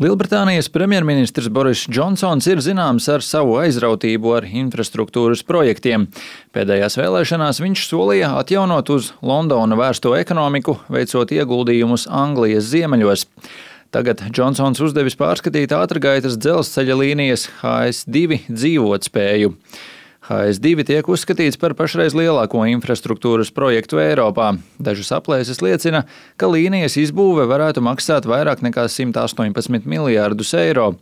Lielbritānijas premjerministrs Boris Džonsons ir zināms ar savu aizrautību ar infrastruktūras projektiem. Pēdējās vēlēšanās viņš solīja atjaunot uz Londonu vērsto ekonomiku, veicot ieguldījumus Anglijas ziemeļos. Tagad Džonsons uzdevis pārskatīt ātrgaitas dzelzceļa līnijas HS2 dzīvotspēju. HS2 tiek uzskatīts par pašreiz lielāko infrastruktūras projektu Eiropā. Dažas aplēses liecina, ka līnijas izbūve varētu maksāt vairāk nekā 118 miljārdus eiro.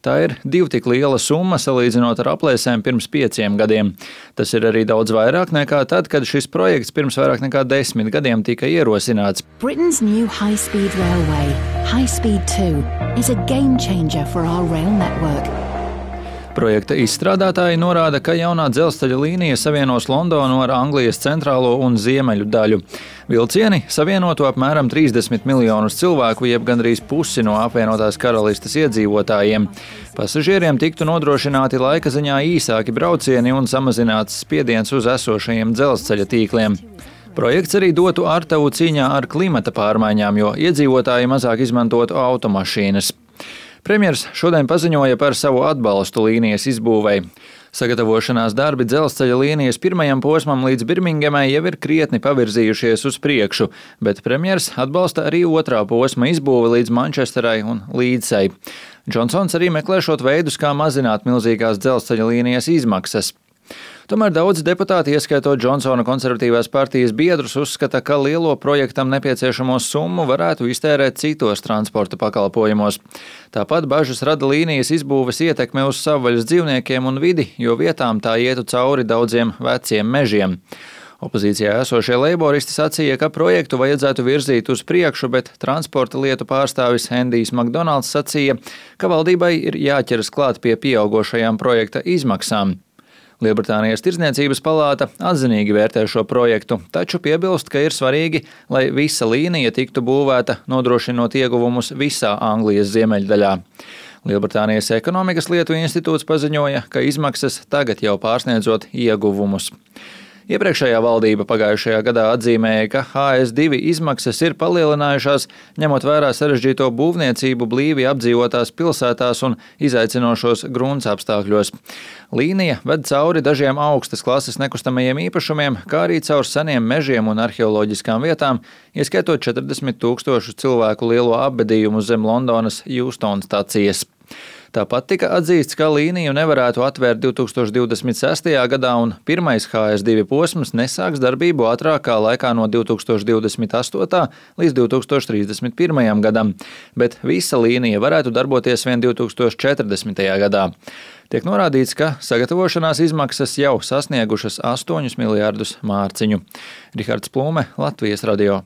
Tā ir divi tik liela summa salīdzinot ar aplēsēm pirms 5 gadiem. Tas ir arī daudz vairāk nekā tad, kad šis projekts pirms vairāk nekā 10 gadiem tika ierosināts. Britain's new high-speed railway, High Speed 2, is a game changer for our rail network. Projekta izstrādātāji norāda, ka jaunā dzelzceļa līnija savienos Londonu ar Anglijas centrālo un ziemeļu daļu. Vilcieni savienotu apmēram 30 miljonus cilvēku, jeb gandrīz pusi no apvienotās karalistes iedzīvotājiem. Pasažieriem tiktu nodrošināti laika ziņā īsāki braucieni un samazināts spiediens uz esošajiem dzelzceļa tīkliem. Projekts arī dotu artavu cīņā ar klimata pārmaiņām, jo iedzīvotāji mazāk izmantotu automašīnas. Premjers šodien paziņoja par savu atbalstu līnijas izbūvei. Sagatavošanās darbi dzelzceļa līnijas pirmajam posmam līdz Birmingemai jau ir krietni pavirzījušies uz priekšu, bet premjers atbalsta arī otrā posma izbūvi līdz Mančesterai un Līdsai. Džonsons arī meklēšot veidus, kā mazināt milzīgās dzelzceļa līnijas izmaksas. Tomēr daudzi deputāti, ieskaitot Džonsona konservatīvās partijas biedrus, uzskata, ka lielo projektam nepieciešamo summu varētu iztērēt citos transporta pakalpojumos. Tāpat bažas rada līnijas izbūves ietekme uz savvaļas dzīvniekiem un vidi, jo vietām tā ietu cauri daudziem veciem mežiem. Opozīcijā esošie leiboristi sacīja, ka projektu vajadzētu virzīt uz priekšu, bet transporta lietu pārstāvis Endijs Makdonalds sacīja, ka valdībai ir jāķeras klāt pie pieaugošajām projekta izmaksām. Lielbritānijas Tirdzniecības palāta atzinīgi vērtē šo projektu, taču piebilst, ka ir svarīgi, lai visa līnija tiktu būvēta, nodrošinot ieguvumus visā Anglijas ziemeļdaļā. Lielbritānijas ekonomikas lietu institūts paziņoja, ka izmaksas tagad jau pārsniedzot ieguvumus. Iepriekšējā valdība pagājušajā gadā atzīmēja, ka HS2 izmaksas ir palielinājušās, ņemot vērā sarežģīto būvniecību blīvi apdzīvotās pilsētās un izaicinošos gruntsapstākļos. Līnija ved cauri dažiem augstas klases nekustamajiem īpašumiem, kā arī caur seniem mežiem un arheoloģiskām vietām, ieskaitot 40 000 cilvēku lielo apbedījumu zem Londonas Euston stacijas. Tāpat tika atzīsts, ka līniju nevarētu atvērt 2026. gadā un pirmais HS2 posms nesāks darbību ātrākā laikā no 2028. līdz 2031. gadam, bet visa līnija varētu darboties vien 2040. gadā. Tiek norādīts, ka sagatavošanās izmaksas jau sasniegušas 8 miljārdus mārciņu. Rihards Plūme, Latvijas radio.